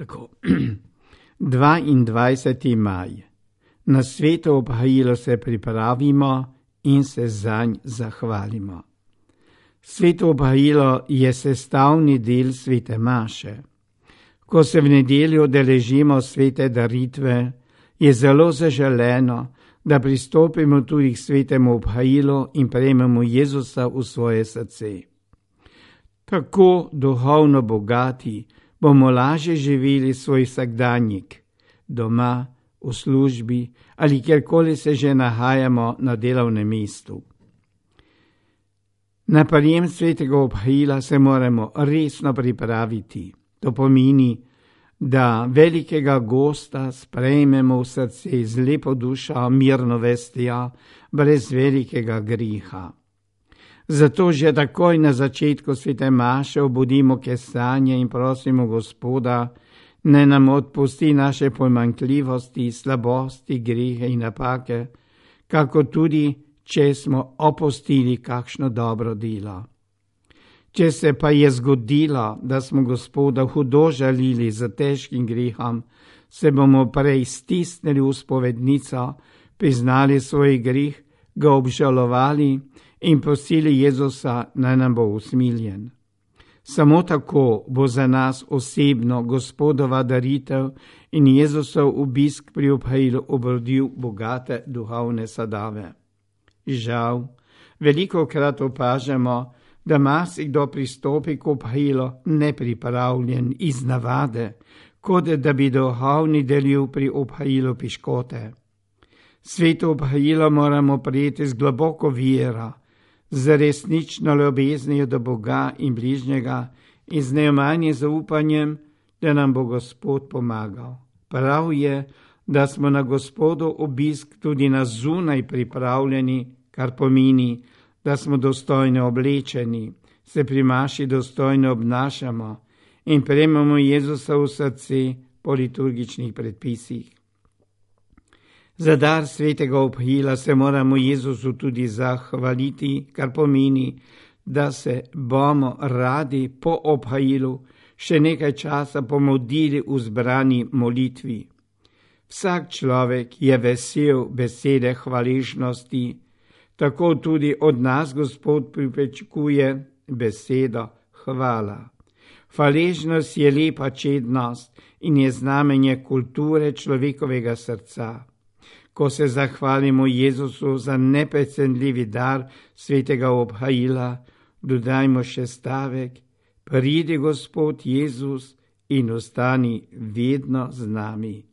Tako. 22. maj. Na sveto obhajilo se pripravimo in se zanj zahvalimo. Sveto obhajilo je sestavni del svete maše. Ko se v nedeljo udeležimo svete daritve, je zelo zaželeno, da pristopimo tudi k svetemu obhajilu in prejmemo Jezusa v svoje srce. Tako duhovno bogati bomo lažje živeli svoj vsakdanjik, doma, v službi ali kjerkoli se že nahajamo na delovnem mestu. Na prijem svetega obhajila se moramo resno pripraviti. To pomeni, da velikega gosta sprejmemo v srce z lepo dušo, mirno vestjo, brez velikega griha. Zato že takoj na začetku svete maše obudimo kesanje in prosimo Gospoda, naj nam odpusti naše pomanjkljivosti, slabosti, grehe in napake, kako tudi, če smo opustili kakšno dobro delo. Če se pa je zgodilo, da smo Gospoda hudo žalili za težkim grehom, se bomo prej stisnili v spovednico, priznali svoj greh, ga obžalovali in prosili Jezusa, naj nam bo usmiljen. Samo tako bo za nas osebno Gospodova daritev in Jezusov obisk pri obhajilu obrodil bogate duhovne sadove. Žal, velikokrat opažamo, da marsikdo pristopi k obhajilu nepripravljen iz navade, kot da bi duhovni delil pri obhajilu piškote. Sveto obhajilo moramo prijeti z globoko vero, z resnično ljubeznijo do Boga in bližnjega in z neomanjim zaupanjem, da nam bo Gospod pomagal. Prav je, da smo na Gospodov obisk tudi na zunaj pripravljeni, kar pomeni, da smo dostojno oblečeni, se pri maši dostojno obnašamo in prejmemo Jezusa v srce po liturgičnih predpisih. Za dar svetega obhajila se moramo Jezusu tudi zahvaliti, kar pomeni, da se bomo radi po obhajilu še nekaj časa pomodili v zbrani molitvi. Vsak človek je vesel besede hvaležnosti, tako tudi od nas Gospod pričakuje besedo hvala. Hvaležnost je lepa čednost in je znamenje kulture človekovega srca. Ko se zahvalimo Jezusu za neprecenljivi dar svetega obhajila, dodajmo še stavek: pridi Gospod Jezus in ostani vedno z nami.